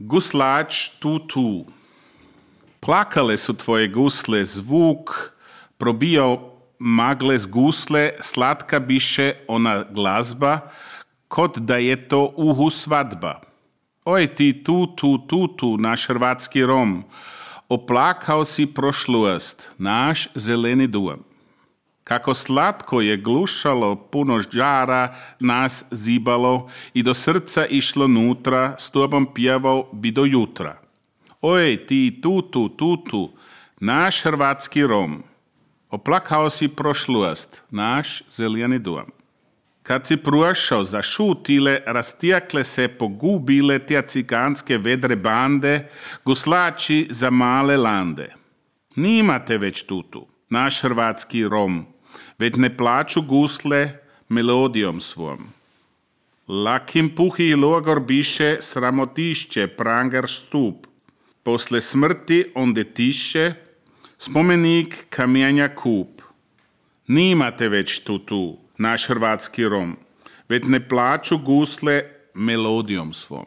Guslač tu. Plakale su tvoje gusle, zvuk probijao magle z gusle, slatka biše ona glazba, kod da je to uhu svadba. Oj ti tu, naš hrvatski Rom, oplakao si prošlost, naš zeleni dom. Kako slatko je glušalo, puno žara nas zibalo i do srca išlo nutra, s tobom pjevao bi do jutra. Oj ti tu, naš hrvatski Rom, oplakao si prošlost, naš zeleni dom. Kad si prošao, zašutile, rastijakle se, pogubile tja ciganske vedre bande, guslači za male lande. Nimate već tutu, naš hrvatski Rom, već ne plaču gusle melodijom svom. Lakim puhi logor biše, sramotišće, pranger stup. Posle smrti onde tiše, spomenik kamenja kup. Nimate već tu, naš hrvatski Rom, već ne plaču gusle melodijom svom.